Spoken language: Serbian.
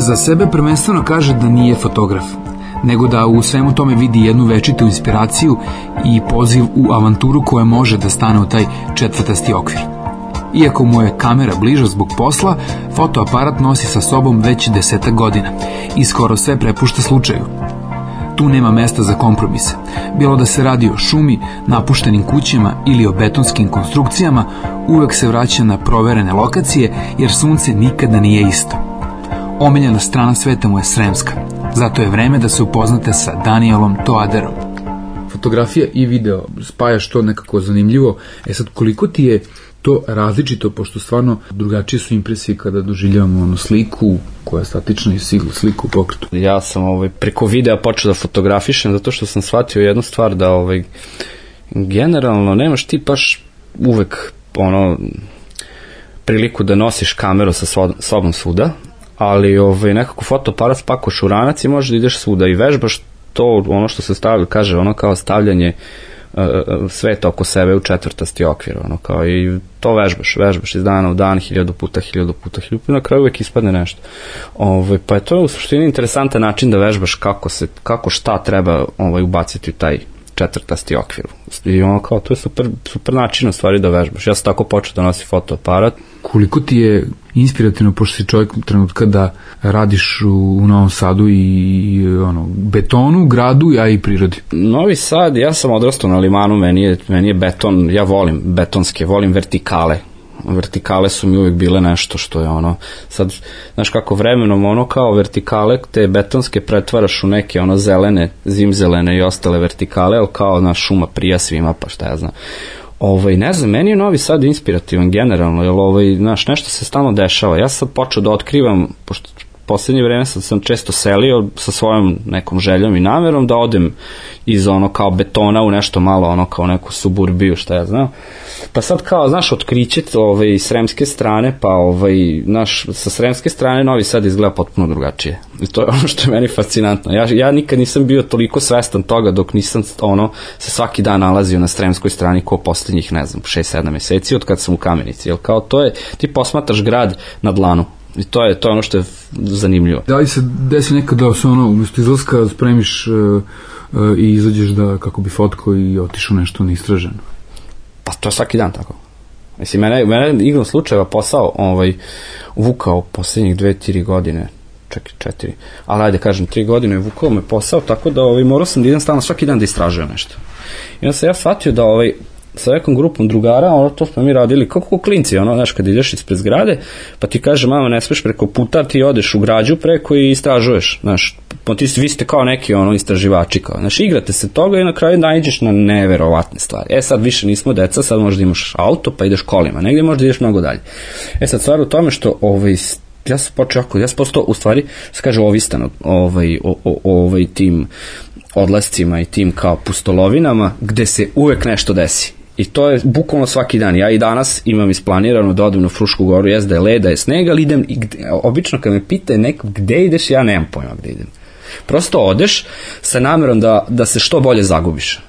Za sebe prvenstveno kaže da nije fotograf, nego da u svemu tome vidi jednu večitu inspiraciju i poziv u avanturu koja može da stane u taj četvrtasti okvir. Iako mu je kamera bliža zbog posla, fotoaparat nosi sa sobom već 10 godina i skoro sve prepušta slučaju. Tu nema mesta za kompromise. Bilo da se radi o šumi, napuštenim kućama ili o betonskim konstrukcijama, uvek se vraća na proverene lokacije jer sunce nikada nije isto. Omiljena strana sveta mu je Sremska. Zato je vreme da se upoznate sa Danielom Toaderom. Fotografija i video, spajaš to nekako zanimljivo. Sad, koliko ti je to različito, pošto stvarno drugačije su impresije kada doživljavamo sliku koja je statična i sliku u pokretu. Ja sam preko videa počeo da fotografišem zato što sam shvatio jednu stvar da generalno nemaš ti baš uvek priliku da nosiš kameru sa sobom svuda, ali nekako fotoaparat spakoš u ranac i možeš da ideš svuda i vežbaš to, ono što se kaže, kao stavljanje sveta oko sebe u četvrtasti okvir, kao i to vežbaš iz dana u dan, 1000 puta, na kraju uvek ispadne nešto. Pa je to u suštini interesantan način da vežbaš kako šta treba ubaciti u taj četvrtasti okvir. I kao, to je super način u stvari da vežbaš. Ja sam tako počeo da nosim fotoaparat. Koliko ti je inspirativno, pošto si čovjek trenutka da radiš u Novom Sadu i betonu, gradu, a i prirodi? Novi Sad, ja sam odrastao na Limanu, meni je beton, ja volim betonske, volim vertikale. Vertikale su mi uvijek bile nešto što je sad, znaš kako vremenom kao vertikale te betonske pretvaraš u neke zelene, zimzelene i ostale vertikale, ali kao šuma prija svima, pa šta ja znam. Ne znam, meni je Novi Sad inspirativan generalno, jer nešto se stalno dešava. Ja sam počeo da otkrivam, pošto poslednje vreme sam često selio sa svojom nekom željom i namerom da odem iz kao betona u nešto malo, kao neku suburbiju, šta ja znam. Pa sad kao, znaš, otkriće iz sremske strane, pa sa sremske strane Novi Sad izgleda potpuno drugačije. I to je ono što je meni fascinantno. Ja nikad nisam bio toliko svestan toga dok nisam se svaki dan nalazio na sremskoj strani ko poslednjih, 6-7 meseci od kad sam u Kamenici. Jer kao to je, ti posmatraš grad na dlanu. I to je ono što je zanimljivo. Da li se desi nekad da se umjesto izlaska spremiš i izađeš da kako bi fotko i otišao nešto neistraženo? Pa to je svaki dan tako. Mislim, mene igrom slučajeva posao vukao poslednjih 2-3 godine, čak 4, ali ajde kažem 3 godine je vukao me posao, tako da morao sam da idem stalno svaki dan da istražujem nešto. I onda sam ja shvatio da sa nekom grupom drugara, to smo mi radili kako klinci, znaš, kad ideš ispred zgrade, pa ti kaže, mama, ne smeš preko puta, ti odeš u građu preko i istražuješ, znaš, vi ste kao neki istraživači, kao, znaš, igrate se toga i na kraju naiđeš na neverovatne stvari. Sad više nismo deca, sad možda imaš auto, pa ideš kolima, negdje možda ideš mnogo dalje. Sad stvar u tome što ja sam postao, u stvari, se kaže, ovistan tim odlascima i tim kao pustolovinama, gde se uvek nešto desi. I to je bukvalno svaki dan. Ja i danas imam isplanirano da odem na Frušku goru, da je led, da je sneg, ali idem, obično kad me pita neko gde ideš, ja nemam pojma gde idem. Prosto odeš sa namerom da se što bolje zagubiš.